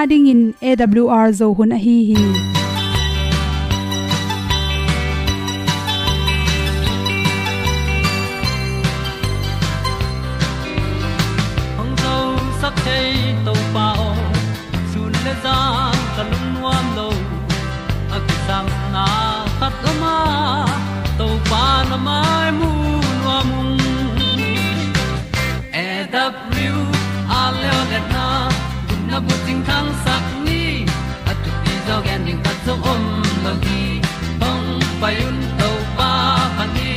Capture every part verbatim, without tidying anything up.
Adingin A W R Zo hun ahi hi. Hong zosak thei Topa aw, sun le zan ka lungnuam lo. A kisapna khat lam ah Topa na mai mu nuam ung. A W R leo letna, gupna bucing thangsak ni, a thupi zaw gen ding khat zong om lo hi. Hong pai un Topa phat ni,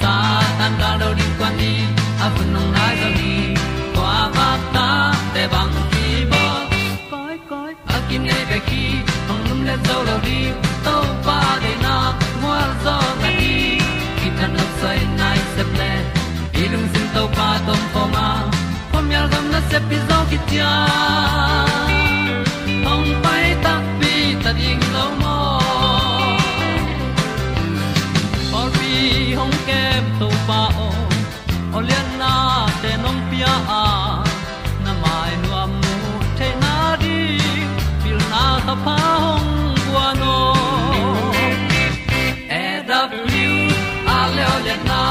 Satan gal do ding kuan ni, a hun hong nai zaw hi. Kua vak ta te bang hi baw. Koi, koi, a kinei bek hi, hong lum le zo lo ding, Topa deihna gualzawhna ding, kithat nopsai nai sep le, i lungsim Topa tawh om khawm a, khuamial gam nasep hi zaw kician, hong pai takpi ta ding lo maw. Pawlpi hong kem Topa aw, aw liannate nong pia a, na mai nuam mu theihna ding, pilna thapha hong guan aw. A W R leo letna,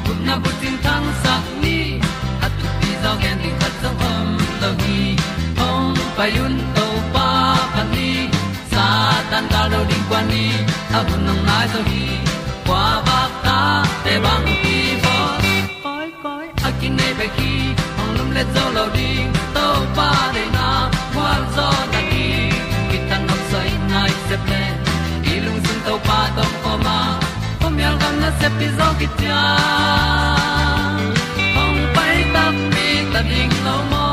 gupna bucing thangsak ni, a thupi zaw gen ding khat zong om lo hi. Hong pai un Topa phat ni, Satan gal do ding kuan ni, a hun hong nai zaw hi. Kua vak ta te bang hi baw. Koi, koi, a kinei bek hi, hong lum le zo lo ding, Topa deihna gualzawhna ding, kithat nopsai nai sep le, i lungsim Topa tawh om khawm a, khuamial gam nasep hi zaw kician, hong pai takpi ta ding lo maw.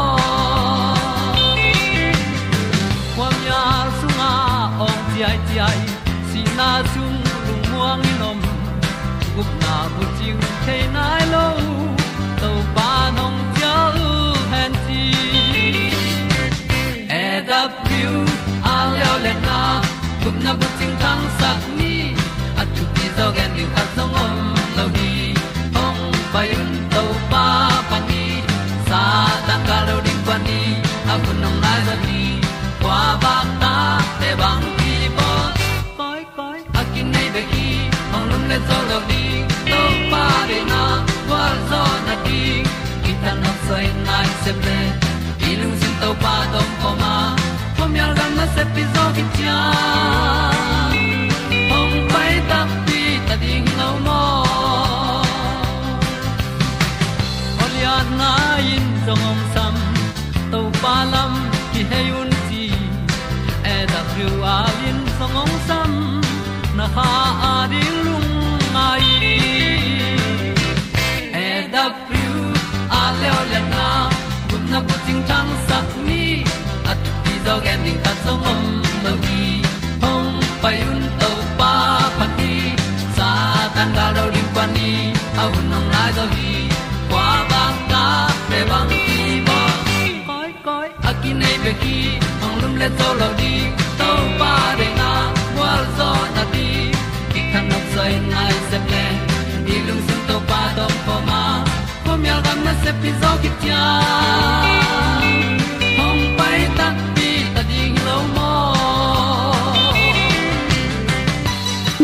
Khuamial sungah awng ciaiciai, sihna sung lungmuang in om, gupna bucing thei nai lo, Topa nong cial hen ci. A W R leo letna, gupna bucing thangsak ni, a thupi zaw gen ding khat zong om lo hi. Hong pai un Topa phat ni, Satan gal do ding kuan ni, a hun hong nai zaw hi. Kua vak ta te bang hi baw. Koi, koi, a kinei bek hi, hong lum le zo lo ding, Topa deihna gualzawhna ding, kithat nopsai nai sep le, i lungsim Topa tawh om khawm a, khuamial gam nasep hi zaw kician, hong pai takpi ta ding lo maw. Aw lianna in zong hong sam, Topa lam kihei un ci, A W R in zong hong sam, na kha a ding lungngai. A W R leo letna, gupna bucing thangsak ni, a thupi zaw gen ding khat zong om lo hi. Hong pai un Topa phat ni, Satan gal do ding kuan ni, a hun hong nai zaw hi. Kua vak ta te bang hi baw. Koi, koi, a kinei bek hi, hong lum le zo lo ding, Topa deihna gualzawhna ding, kithat nopsai nai sep le, i lungsim Topa tawh om khawm a, khuamial gam nasep hi zaw kician, hong pai takpi ta ding lo maw.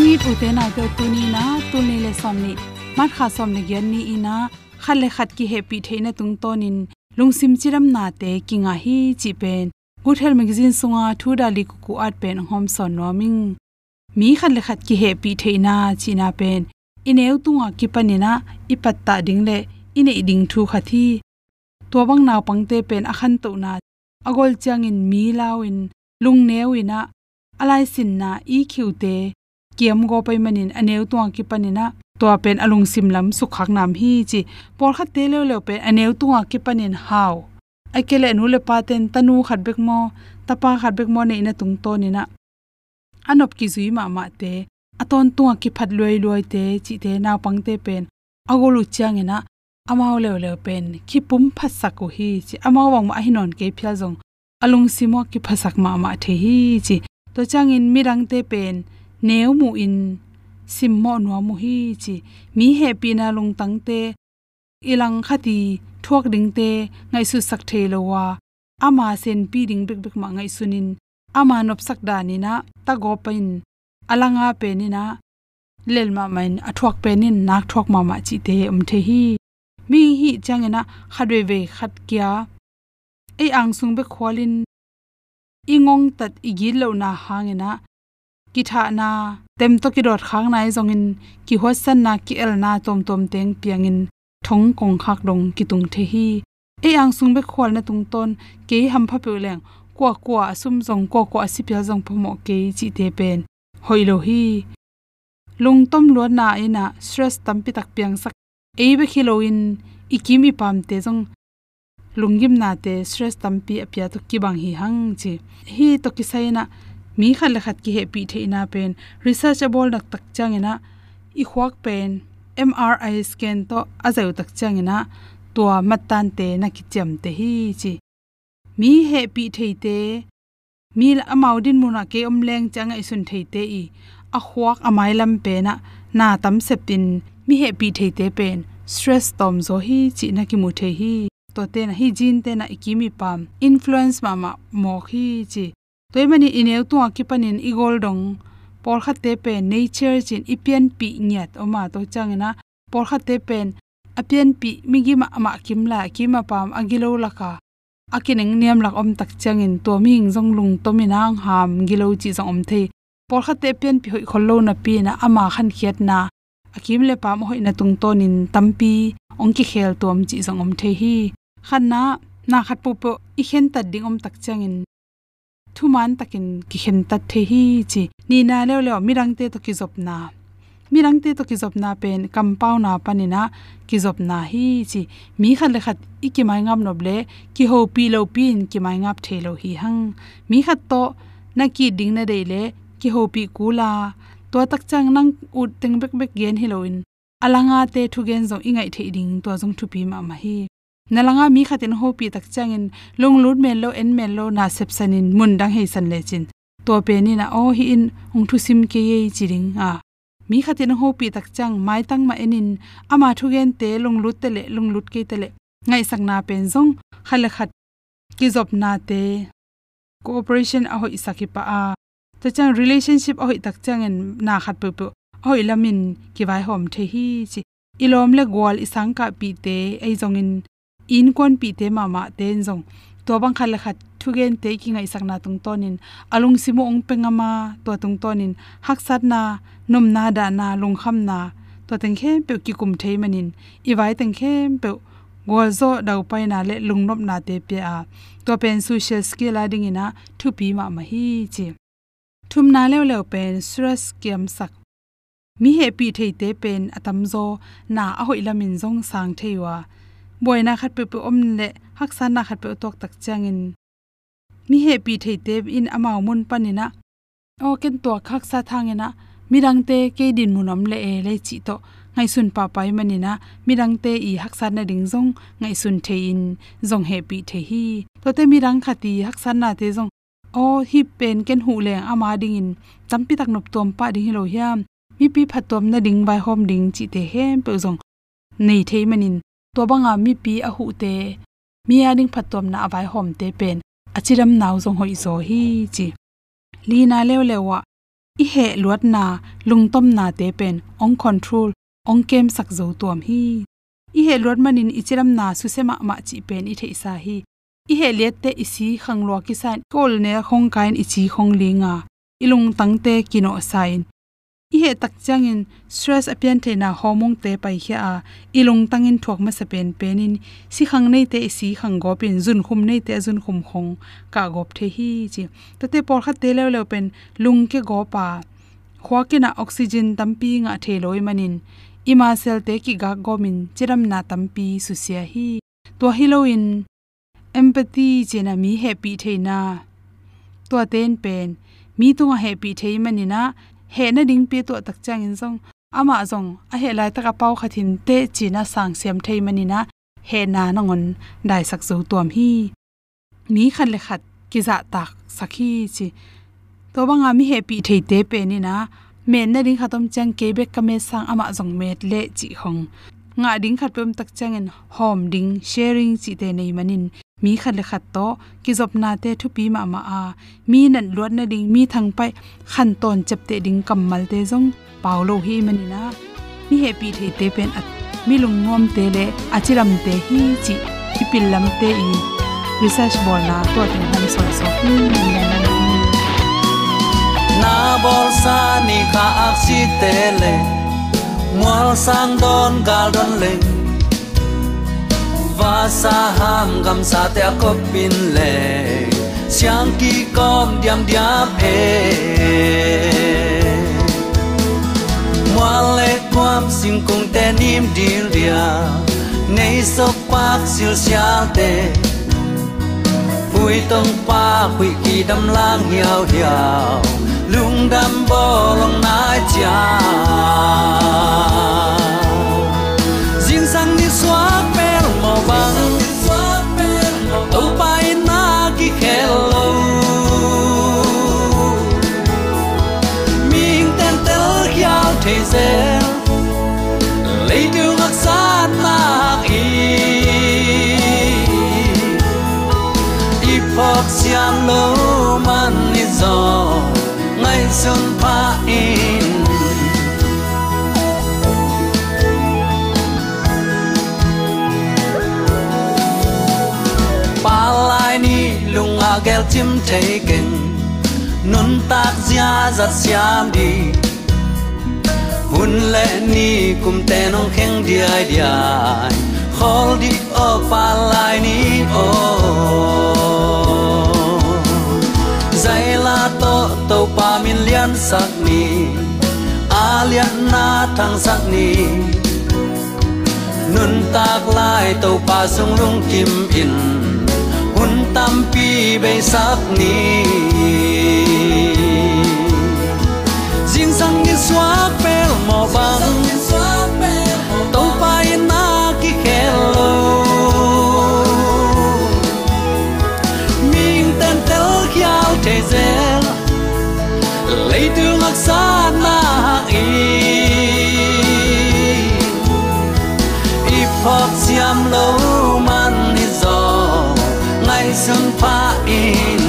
Nit ute naute, tuni in ah, tul nih le sawm nih, March kha sawm le giat ni in ah, khat le khat kihehpih theihna tungtawnin lungsim cidamnate kingah hi cih pen Good Health Magazine sunga thu dali kuku at pen hong hawmsawn nuam ing. Mi khat le khat kihehpih theihna cihna pen i neu tungah kipanin ah i pattah ding le i neih ding thu khat hi. Tua bang naupangte pen a khantohna a gol ciangin mi lau-in, lungneu in ah, a laisinna, E Q te kiam gawp ahih manin a neu tungah kipanin ah tua pen a lungsim lam sukkhakna om hi ci. Pawlkhatte leuleu pen a neu tungah kipanin hau, ahih kei leh nu le pate'n tanu khat bek maw, tapa khat bek maw neihna tungtawnin ah a nop kizui mahmahte, a tawntungah kiphat luailuaite cihte, naupangte pen a gol uh ciangin ah amau leuleu pen kipum phatsak uh hi ci. Amau bangmah ahi nawn kei phial zong a lungsim uh ah kiphasak mahmah thei hi ci. Tua ciangin midangte pen neu muhin simmawh nuam uh hi ci. Mi hehpihna lungtangte, i langkhat i thuak dingte ngaihsutsak thei lo a, ama senpi ding bekbek mah ngaihsunin, ama nopsak danin ah tagaw pain, a langa penin ah lel mahmah in, a thuak penin nak thuak mahmah cihte om thei hi. Mihing hih ciangin ah khat veivei khat kia, ei angsung bek khualin i ngongtat i gitlohna hangin ah kithahna, tem tawh kidawtkhakna ahi zongin kihuatsanna, ki-elna tuamtuam teng piangin thong kongkhak dong kitung thei hi. Ei angsung bek khualna tungtawn kei hampha peuh leng, kuakua a sum zong, kuakua a sipial zong phamawh kei cihte pen hoih lo hi. Lungtom luatna in ah stress tampi tak piangsak, ei bek hi loin i kim i pamte zong lunggimnate, stress tampi a pia tawh kibang hi hang ci. Hih tawh kisai in ah mi khat le khat kihehpih theihna pen research a bawl naktak ciangin ah i khuak pen M R I scan tawh a zaih uh tak ciangin ah tua mattante na kiciamteh hi ci. Mi hehpih theite, mi la, amau dinmun ah kei om leng ci a ngaihsun theite i a khuak a mailam pen ah na tam sepin mi hehpih theite pen stress tawmzaw hi cih na kimu thei hi. Tuate in ah hih gene te in ah i kim i pam influence mahmah mawk hi ci. Tua ahih manin i neu tungah kipanin i gol dong pawlkhatte pen nature ci-in i pianpih ngiat om a, tua ciangin ah pawlkhatte pen a pianpih migi mahmah kim lai, a kim a pam, a gilo laka a kinengniam lak om tak ciangin tua mihing zong lungtom in ah ang ham, gilo cih zong om thei. Pawlkhatte a pianpih hoih khol lo napi in ah ama khankhiatna, a kim le pam a hoihna tungtawnin tampi hong kikhel tuam cih zong om thei hi. Khatna, na khat pohpoh i khentat ding om tak ciangin thuman takin kikhentat thei hi ci. Nihna leuleu, midangte tawh kizopna. Midangte tawh kizopna pen kampauna panin ah kizopna hi ci. Mi khat le khat i kimaingap nop leh kihopih lopi-in kimaingap thei lo hi hang. Mi khat tawh na ki-it ding na deih leh kihopih kul a, tua tak ciang nang ut teng bekbek gen hi loin a langate thugen zong i ngaih theih ding, tua zong thupi mahmah hi. Na langa mi khatin hopih tak ciangin lunglut men lo, en men lo, na sepsanin mun dang heisan lecin, tua pen in ah aw, hih in hong thusim kei ei ci ding a, mi khatin hopih tak ciang maitang mah enin ama thugente lunglut teleh, lunglut kei teleh, ngaihsakna pen zong khat le khat kizopnate cooperation a hoihsak hi pah a, tua ciang relationship a hoih tak ciangin na khat peuhpeuh a hoih lamin kivaihawm thei hi ci. I lawm le gual, i sangkahpihte ahi zongin, i innkuanpihte mahmahte in zong tua bang khat le khat thugente i kingaihsakna tungtawnin a lungsim uh hong pia ngam a, tua tungtawnin haksatna, nopna, dahna, lungkhamna, tua teng khempeuh kikum thei manin i vai teng khempeuh gualzawh, daupaina le lungnopnate pia a, tua pen social skill a dingin ah thupi mahmah hi ci. Thumna leuleu pen stress kiamsak. Mi hehpih theite pen a tamzaw na a hoih lamin zong sang thei uh a, buaina khat peuhpeuh om leh haksatna khat peuh a tuak tak ciangin mi hehpih theite in amau mun panin ah, aw, ken tua haksa thangin ah midangte kei dinmun om leh e le cih tawh ngaihsun pahpah ahih manin ah midangte i haksatna ding zong ngaihsun thei-in zong hehpih thei hi. Tuate midang khat i haksatnate zong, aw, hih pen ken huh leng ama dingin tampi tak noptuam pah ding hi lo hiam, mipi phattuam nading vaihawm ding cihte khempeuh zong nei thei manin, tua banga mipi a huhte, mi a ding phattuamna a vaihawmte pen a cidamna uh zong hoihzaw hi ci. Lina leuleu ah i heh luatna, lungtomnate pen hong control, hong kemsak zo tuam hi. I heh luat manin i cidamna susia mahmah cih pen i theihsa hi. I heh liatte i si khang lua kisa in, i kawl ne khong kai in i ci khong ling a, i lungtangte kinawhsa in, i heh tak ciangin stress a piantheihna hormone-te paikhia a, i lungtangin thuak masa penpen in, sikhang neite i sikhang gawp in, zunkhum neite a zunkhum khong kah gawp thei hi ci. Tuate pawlkhatte leuleu pen lungkia gawp a, khuak in ah oxygen tampi ngah thei lo ahih manin i muscle-te kigak gawp in cidamna tampi susia hi. Tua hi loin empathy ci-in ah mi hehpih theihna, tuate in pen mi tungah hehpih thei manin ah heh nadingpi a tuah tak ciangin zong amah zong a heh laitak a pau khat hi inteh ci-in ah sangsiam thei manin ah hehna nangawn daisak zo tuam hi. Mi khat le khat kizahtaksak hi ci. Tua banga mi hehpih theite pen in ah met nading khat om ciang kei bek ka met sang amah zong met leh cih khong, ngah ding khat peuh om tak ciangin hawm ding, sharing cihte nei manin mi khat le khat tawh kizopnate thupi mahmah a, mi natluat nading, mi thangpaih khantawn ciapteh ding kammalte zong pau lo hi manin ah, mi hehpih theite pen a, mi lungnuamte le a cidamte hi cih i pillamte i research bawlna tua teng hong sawlsawk hi. Na bawlsa ni kha aksite le mualsang dawn gal dawn leng, vasa ham gamsate a kop in le siang kikawm diamdiam e. Mual le kuam singkungte nim dildia, nei sokpak silsiate, pui tongpak huih kidam lang hiauhiau, lungdam bawlong nai cia. Zingsang nisuak pel mawh bang, Topa in na kikhel lo. Mihing tentel khial thei zel, leitung haksa nak i, i phawk siam lo man i zaw, ngaihsun pha in. Palai ni lungah gelcim thei keng, nuntak ziazat siam dih. Hun le ni kumte nong kheng diaidiai, khawl dih aw palai ni aw. Zaila tawh Topa min liansak ni, a lianna thangsak ni. Nuntak lai Topa sung lungkim in, hun tampi beisak ni. Zingsang nisuak pel mawh bang, Topa in na kikhel lo. Mihing tentel khial thei zel, leitung haksa nak i, i phawk siam lo man i zaw, ngaihsun pha in.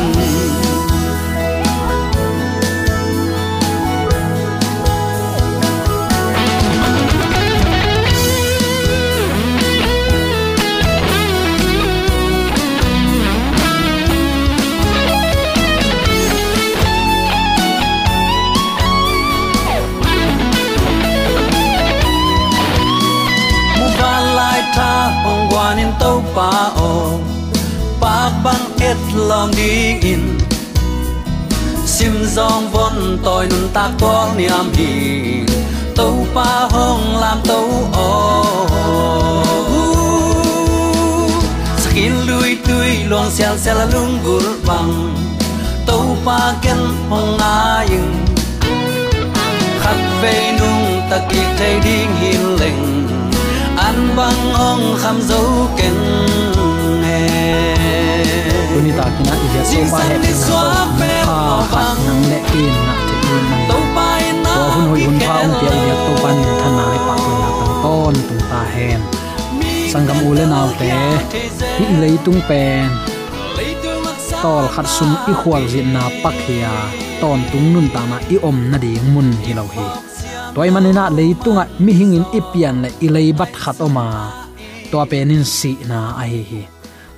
Muvanlai tha hong guan in Topa aw, pak bang et lawm dingin, sim zawng von tawi nuntak tual niam hi. Topa hong lamto aw, sakin luitui luang sialsial a lunggulh bang, Topa ken hong ngai in. Khatvei nungta kik thei ding hi leng, an bang hong kham zo keng e. Tuni takin ah i biak Topa hehpihna tawh hun pha khat nang le kei in ngah theih ding a, tua hun hoih hun pha hong pia i biak Topa in minthanna le pahtawina tang tawntung ta hen. Sanggam u le naute, hih leitung pen tawlkhat sung i khualzinna pak hi a, tawntung nuntakna i om nading mun hi lo hi. Tua ahih manin ah leitungah mihing in i pian le i leibat khat om a, tua pen in sihna ahi hi.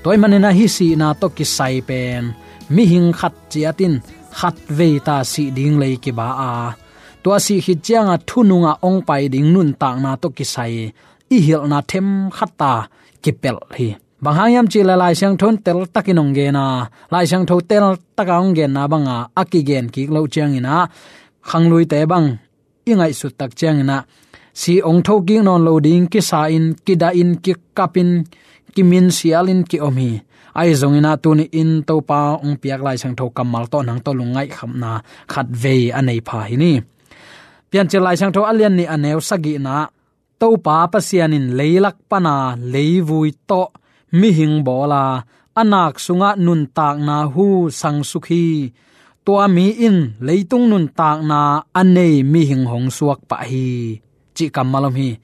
Tua ahih manin ah hih sihna tawh kisai pen mihing khat ciat in khatvei ta sih ding lei kiba a, tua sih khit ciangah thunungah hong pai ding nuntakna tawh kisai i hilhna themkhat ta kipelh hi. Bang hang hiam cih leh Lai Siangtho in teltakin hong gen a, Lai Siangtho teltaka hong genna banga a kigen kik loh ciangin ah, khangluite bang i ngaihsut tak ciangin ah, sih hong thokik nawn lo ding kisa in, kidah in, kikap in, kiminsial in ki-om hi. Ahi zongin ah tuni in Topa hong piak Lai Siangtho kammal tawh nang tawh lungngaihkhamna khatvei a nei pha hi ni. Piancil Lai Siangtho a lian nih a neu sagihna, Topa Pasian in leilak pana leivui tawh mihing bawl a, a nak sungah nuntakna hu sangsuk hi. Tua mi in leitung nuntakna a nei mihing hong suak pah hi, cih kammal om hi.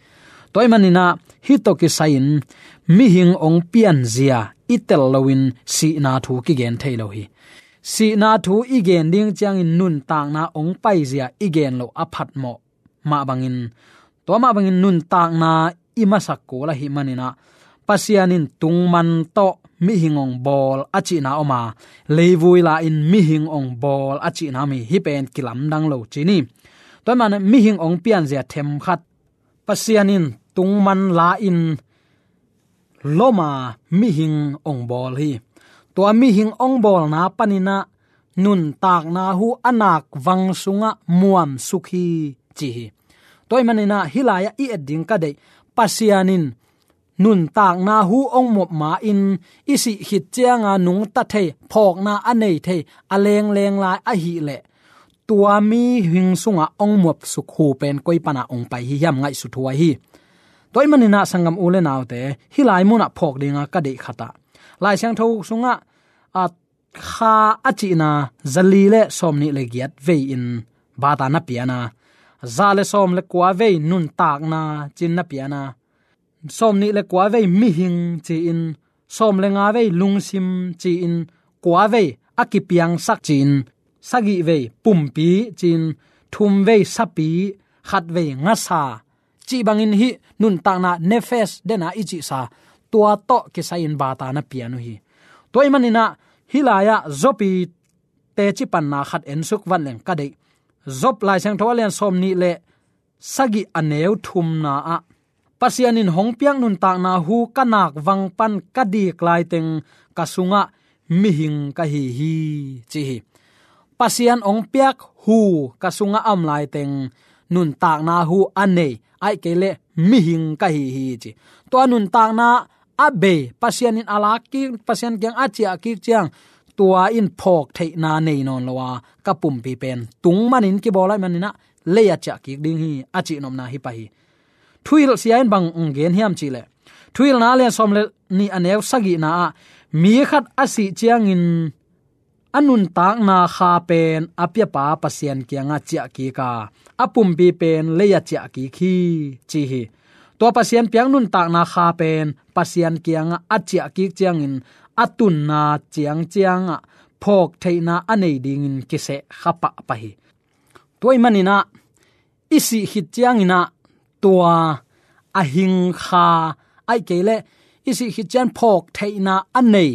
Tua ahih manin ah hih tawh kisai-in mihing hong pianzia i tel loin sihna thu kigen thei lo hi. Sihna thu i gen ding ciangin nuntakna hong paizia i gen loh a phatmawh mah bangin, tua mah bangin nuntakna i masak kul ahih manin ah, Pasian in tungman tawh mihing hong bawl a cihna om a, leivui la-in mihing hong bawl a cihna om hi. Hih pen kilamdang lo ci ni. Tua ahih manin mihing hong pianzia themkhat Pasian in tungman la-in lom a mihing hong bawl hi. Tua mihing hong bawlna panin ah nuntakna hu a nakvang sungah muamsuk hi ci hi. Tua ahih manin ah hih lai-ah i et ding ka deih, Pasian in nuntakna hu hong muap ma-in i sih khit cianga nungta thei, phawkna a nei thei a lengleng lai ahih leh, tua mihing sungah hong muapsuk hu pen koi pana hong pai hi hiam ngaihsut huai hi. Tua ahih manin ah sanggam u le naute, hih lai munah phawk dinga ka deih khat ah, Lai Siangtho sungah, a, kha a cihna zali le sawmnih le giat vei-in bata na piana, za le sawm le kua vei nuntakna ci-in na piana, sawmnih le kua vei mihing ci-in, sawm le nga vei lungsim ci-in, kua vei a kipiangsak ci-in, sagih vei pumpi ci-in, thum vei sapi, khat vei ngasa cih bangin hih nuntakna nephesh dena i cihsa, tua tawh kisai-in bata na pian uh hi. Tua ahih manin ah hih lai-ah Job i teci panna khat ensuk vat leng ka deih. Job Lai Siangtho a lian sawmnih le sagih a neu thumna ah, Pasian in hong piak nuntakna hu ka nakvang pan ka dik laiteng ka sungah mihing ka hi hi ci hi. Pasian hong piak hu ka sungah a om laiteng nuntakna hu a nei, ahih kei leh mihing ka hi hi ci. Tua nuntakna a bei, Pasian in a lak kik, Pasian kiang a ciah kik ciang, tua in phawk theihna nei nawn lo a, ka pumpi pen tung manin kibawl ahih manin ah lei a ciah kik ding hi a cihnopna hi pah hi. Thuhilh sia in bang hong gen hiam cih leh, Thuhilhna a lian sawm le nih a neu sagihna ah, mi khat a sih ciangin a nuntakna kha pen a piapa Pasian kiangah ciah kik a, a pumpi pen lei a ciah kik hi ci hi. Tua Pasian piak nuntakna kha pen Pasian kiangah a ciah kik ciangin a tunna ciangciangah phawk theihna a nei dingin kiseh kha pahpah hi. Tua ahih manin ah i sih khit ciangin ah tua a hing kha, ahih kei leh i sih khit ciang phawk theihna a nei,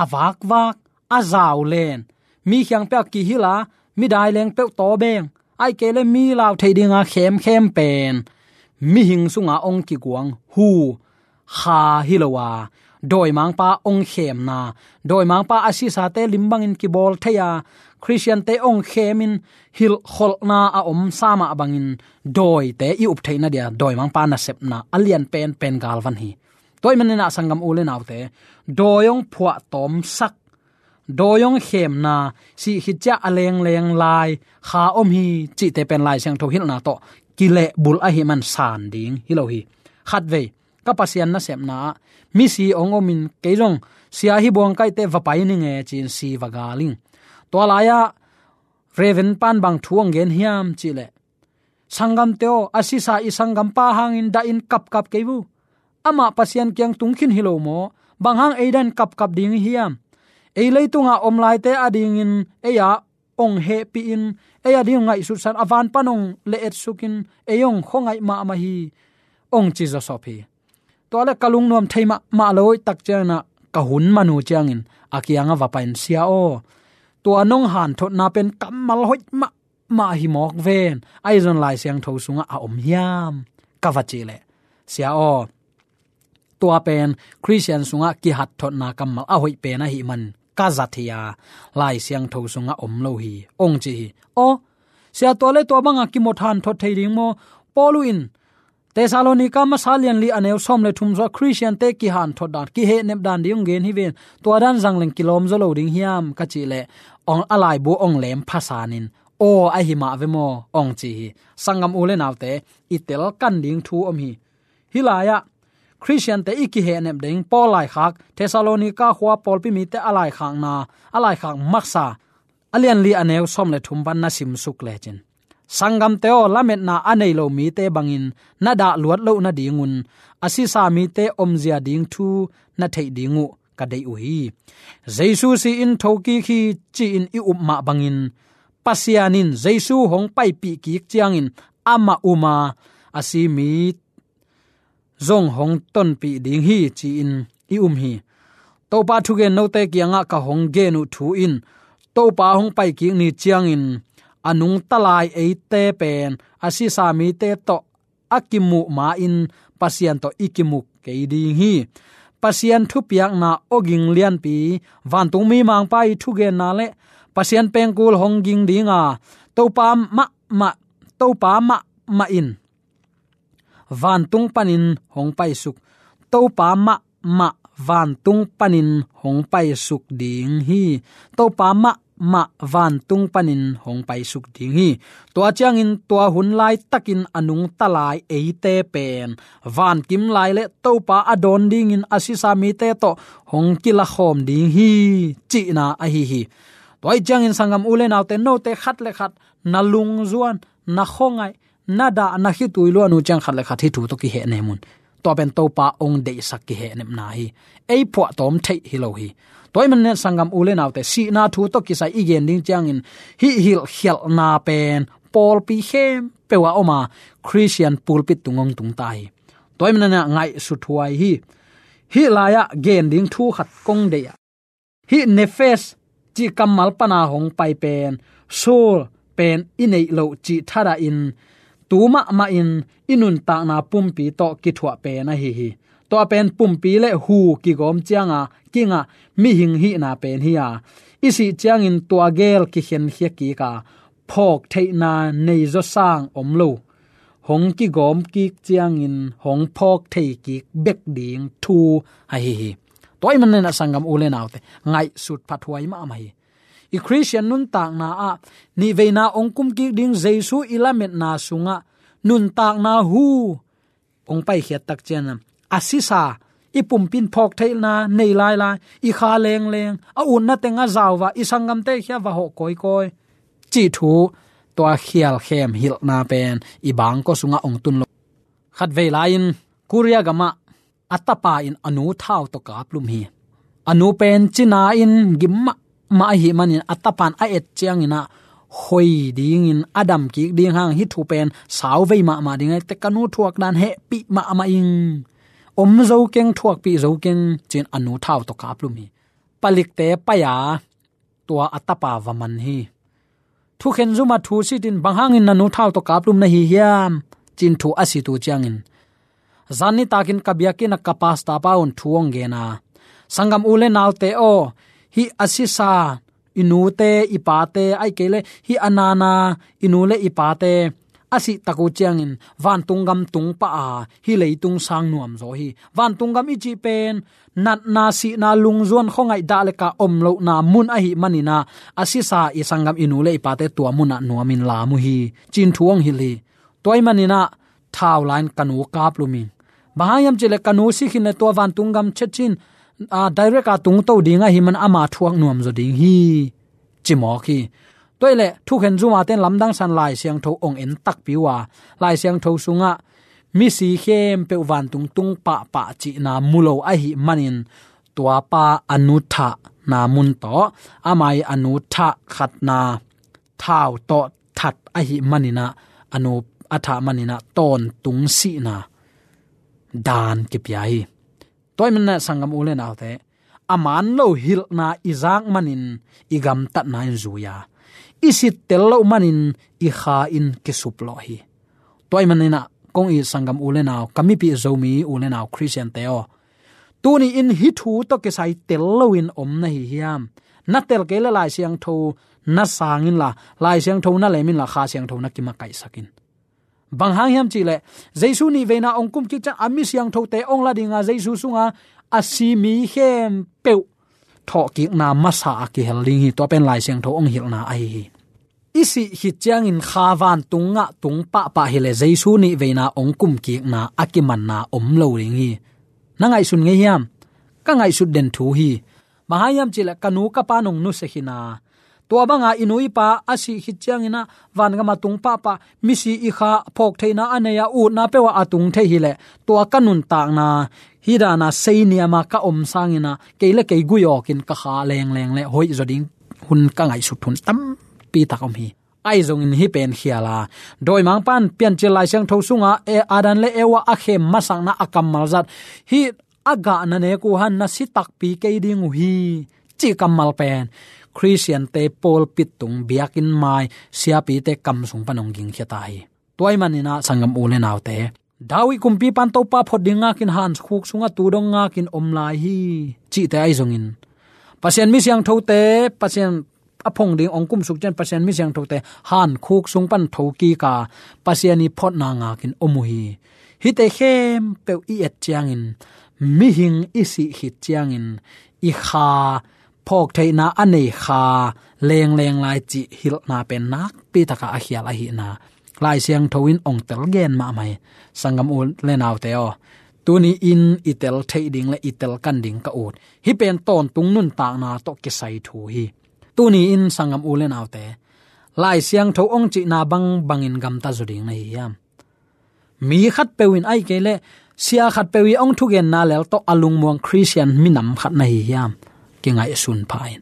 a vakvak, a zau len, mi kiang peuh a kihilh a, mi daileng peuh tawbeng, ahih kei leh mi lau theih dinga khemkhem pen mihing sunga hong kiguang hu kha hi lo a, dawimangpa hong khemna, dawimangpa a sisate lim bangin kibawl thei a, Khristiante hong khemin hilhkholhna a omsa mah bangin dawite i up theihna dia dawimangpa nasepna a lian penpen galvan hi. Tua ahih manin ah sanggam u le naute, dawi hong phuahtawmsak, dawi hong khemna, sih khit ciang a lengleng lai kha om hi cihte pen Lai Siangtho hilhna tawh kilehbulh ahih man san ding hi lo hi. Khatvei ka Pasian nasepna ah misi hong omin kei zong sia hi buang kaite va pai ning e ci-in si va gal ing. Tua lai-ah Reverend pan bang thu hong gen hiam cih leh, sanggamte aw, a sisa i sanggampa hangin dahin kapkap kei uh. Amah Pasian kiang tung khin hi lo maw? Bang hang ei dahin kapkap ding i hiam? Ei leitunga om laite adingin ei-a hong hehpihin, ei ading hong ngaihsutsan, a van pan hong le-etsukin, ei hong khuangaih mahmah hi, hong ci zawsop hi. Tua leh ka lungnuam thei mahmah lo, hoihtak ciangin ah ka hun man uh ciangin a kiangah va pai-in, sia aw, tua nong hanthotna pen kammal hoih mahmah hi mawk ven, ahi zong Lai Siangtho sungah a om hiam, ka va cih leh, sia aw, tua pen Khristian sungah kihanthotna kammal a hoih pen ahih man ka zat hi a, Lai Siangtho sungah om lo hi, hong ci hi. Aw, sia, tua leh tua banga kimawk hanthot thei ding maw? Paul in Thessalonika masa lianli a neu sawm le thum sungah Khristiante kihanthot dan, kihehnep dan ding hong gen hi ven. Tua dan zang leng kilawm zaw lo ding hiam, ka cih leh, hong, a laibu hong lem phasanin, aw, ahi mah ve maw, hong ci hi. Sanggam u le naute, i telkan ding thu om hi. Hih lai-ah Khristiante i kihehnep ding Paul laikhak, Thessalonika khua pawlpi mite a laikhakna, a laikhak masa, a lianli a neu sawm le thum pan na simsuk lecin, sanggamte aw, lametna a nei lo mite bangin na dah luat loh nadingun a sisa mite omzia ding thu na theih ding uh, ka deih uh hi. Jesu si-in thokik hi ci-in i up mah bangin Pasian in Jesu hong paipih kik ciangin amah um a, a si mi zong hong tonpih ding hi ci-in i um hi. Topa thugen note kiangah ka hong gen uh thu in Topa hong paikik ni ciangin a nungta lai eite pen a sisa mite tawh a kimuh ma-in Pasian tawh i kimuh kei ding hi. Pasian thupiakna awging lianpi, vantung mimangpa i thugenna le Pasian pengkul hong ging ding a, Topa mahmah, Topa mahmah in vantung panin hong paisuk. Topa mahmah vantung panin hong paisuk ding hi. Topa mahmah vantung panin hong paisuk ding hi. Tua ciangin tua hun laitakin a nungta lai eite pen vankim lai le Topa a dawn dingin a sisa mite tawh hong kilakhawm ding hi cihna ahi hi. Tua ih ciangin sanggam u le naute, note khat le khat na lungzuan, na khuangaih, na dah, na khitui luan uh ciang khat le khat hih thu tawh kihehnem un. Tua pen Topa hong deihsak kihehnepna hi. Ei phuahtawm theih hi lo hi. Tua ih manin sanggam u le naute, sihna thu tawh kisai i gen ding ciangin hih hilhkhialhna pen pawlpi khempeuh ah om a, Khristian pulpit tung hong tung ta hi. Tua ih manin ngaihsut huai hi. Hih lai-ah gen ding thu khat kong deih ah, hih Nefesh cih kammal pana hong pai pen, soul pen i neih loh cih thadahin, tu mahmahin i nuntakna pumpi tawh kithuah pen ahi hi. Tua pen pumpi le hu kigawm cianga kingah mihing hihna pen hi a, i sih ciangin tua gel kikhenkhia kik a, phawk theihna nei zaw sang om lo, hong kigawm kik ciangin hong phawk thei kik bek ding thu ahi hi. Tua ih manin a sanggam u le naute, ngaihsut phathuai mahmah hi. I Khristian nuntakna ah nihveina hong kum kik ding Jesu i lametna sungah nuntakna hu hong paikhiat tak ciangin a sisa, i pumpi in phawk theihna nei lailai, i kha lengleng, a utna teng a zau va, i sanggamte khia va hawh kawikawi cih thu, tua khialkhem hilhna pen i bangkua sungah hong tun lo. Khatvei lai-in Korea gamah a tapa in a nu thau tawh kaplum hi. A nu pen cina in gim mahmah ahih manin a tapa in a et ciangin ah hoi dingin a dam kik ding hang, hih thu pen sauvei mahmah ding ahi teh, ka nu thuak dan hehpih mahmah ing, om zo keng, thuakpih zo keng, ci-in a nu thau tawh kaplum hi. Palikte pai a, tua a tapa va man hi. Thukhen zum ah thu sit in, bang hangin na nu thau tawh kaplum na hi hiam, ci-in thu a sit uh ciangin, zan nitakin ka biakinn ah ka pastor pa un thu hong gen a, sanggam u le naute aw, hih a sisa i nute i pate, ahih kei leh hih a nana i nu le i pate a sih tak uh ciangin vantung gam tung pah a, hih leitung sang nuam zaw hi. Vantung gam i cih pen natna, sihna, lungzuan, khuangaih, dah le kah om lohna mun ahih manin ah, a sisa i sanggam i nu le i pate tua mun ah nuamin lam uh hi, ci-in thu hong hilh hi. Tua ih manin ah thau la-in ka nu kaplum ing. Bang hang hiam cih leh ka nu si khin leh tua vantung gam chet cin, ah, direct a tungto ding ahih man ama thuak nuam zaw ding hi, ci mawk hi. Tua ih leh thukhen zum a ten lamdang san Lai Siangtho hong en takpi uh a, Lai Siangtho sungah misi khempeuh vantung tung pahpah cihna mu lo ahih manin, tua pa a nu thahna mun tawh, ama ih a nu thah khatna thau tawh that ahih manin ah, a nu a thah manin ah tawntung sihna dan kipia hi. Tua ih manin ah sanggam u le naute, a man lo hilhna i zak manin i gamtatna in zui a, i sit tel loh manin i kha in kisuplawh hi. Tua ih manin ah kong it sanggam u le nau, ka mipih Zomi u le nau Khristiante aw, tuni in hih thu tawh kisai tel loin om na hi hiam? Na tel kei leh Lai Siangtho na sang inla, Lai Siangtho na lem inla, Kha Siangtho na kimakaihsak in. Bang hang hiam cih leh Jesu nihveina hong kum kik ciang a mi siangthote hong la ding a, Jesu sunga a si mi khempeuh thawhkikna masa a kihel ding hi. Tua pen Lai Siangtho hong hilhna ahi hi. I sih khit ciangin kha vantung ah tung pahpah hi leh Jesu nihveina hong kum kikna a kimanna om lo ding hi. Na ngaihsun ngei hiam? Ka ngaihsut den thu hi. Bang hang hiam cih leh ka nu ka pa in hong nusia khin a, Tua banga i nu i pa a sih khit ciangin ah vangam a tung pahpah, misi i kha, phawk theihna a nei a, utna peuh ah a tung thei hileh, tua ka nuntakna hi dana seiniam a ka om sangin ah kei le kei guiawkin ka kha lengleng le hoih zaw ding hun ka ngaihsut hun tampi tak om hi. Ahi zongin hih pen khial a, dawimangpa'n Piancil Lai Siangtho sungah, e, Adam le Eva a khem masakna a kammal zat, hih a gah na nek uh han na si takpi kei ding uh hi, cih kammal pen Khristiante pawlpi tung, biakinn mai, siapite kam sung pan hong gingkhia ta hi. Tua ahih manin ah sanggam u le naute, David kumpipa'n Topa phot ding ngakin hankhuk sungah tu dong ngakin om lai hi, cihte ahi zongin, Pasian mi siangthote, Pasian a phong ding hong kumsuk ciang Pasian mi siangthote hankhuk sung pan thokik a, Pasian i photna ngakin om uh hi. Hihte khempeuh i et ciangin, mihing i sih khit ciangin i kha, phawk theihna a nei kha lengleng lai cih hilhna pen nakpi taka a khial ahihna Lai Siangtho in hong tel gen mahmah hi. Sanggam u le naute aw, tuni-in i tel theih ding le i tel kan ding ka ut, hih pen tawntung nuntakna tawh kisai thu hi. Tuni-in sanggam u le naute, Lai Siangtho hong cihna bangbangin gamta zaw ding na hi hiam? Mi khatpeuh in, ahih kei leh sia khatpeuh i hong thugenna lel tawh a lungmuang Khristian minam khat na hi hiam? Kingaihsun pha in.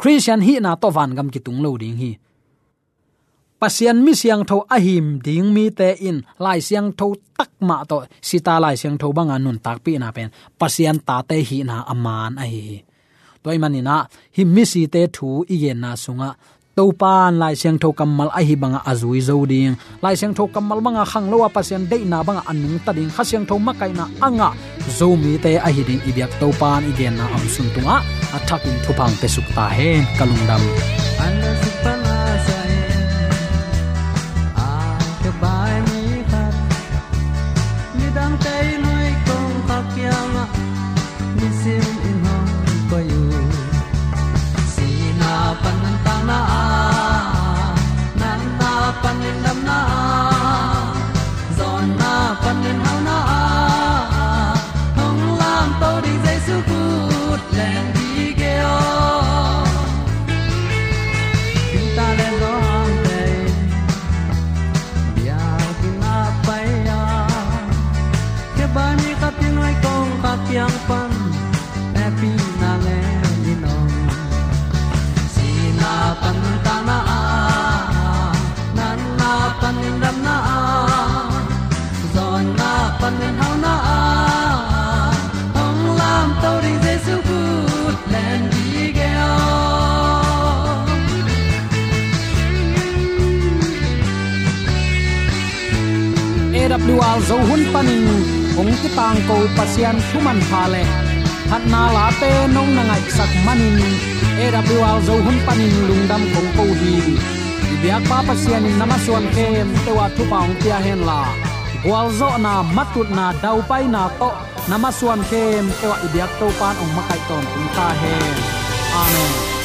Khristian hihna tawh vangam kitung lo ding hi. Pasian mi siangtho a hih ding mite in Lai Siangtho tak mah tawh, sita Lai Siangtho banga nuntakpihna pen Pasian tate hihna a man ahi hi. Tua ahih manin ah hih misite thu i genna sungah Topa'n Lai Siangtho kammal ahi bangah a zui zo ding, Lai Siangtho kammal banga khanglo a Pasian deihna bangah a nungta ding, Kha Siangtho makaihna a ngah Zomite ahi ding i biak Topa'n i genna a omsun tungah a thakin thupha hong piasuk ta hen. Ka lungdam. An a suk pan a sa in, a ka bai mi khat, midangte i nuai kong kha kiangah, nisim in hong koih uh. Sihna panin tatna ah, natna panin damna ah, zawnna panin hauhna ah, hong lamto ding Jesu khut len dih kei aw. Peter le Johan te biakinn ah pai a, khebai mi khat in nuai kong kha kiang pan hehpihna le in om. Sihna panin tatna ah, natna panin damna ah, zawnna panin hauhna ah, hong lamto ding Jesu khut len dih kei aw. A W R Zo hun panin hong kitangko Pasian thu manpha le phatna late nong na ngaihsak manin, A W R Zo hun panin lungdam kong ko hi. I biakpa Pasian in na masuan khempeuh ah thupha hong pia henla, gualzawhna, matutna, daupaina tawh na masuan khempeuh ah i biak Topa'n hong makaih tawntung ta hen. Amen.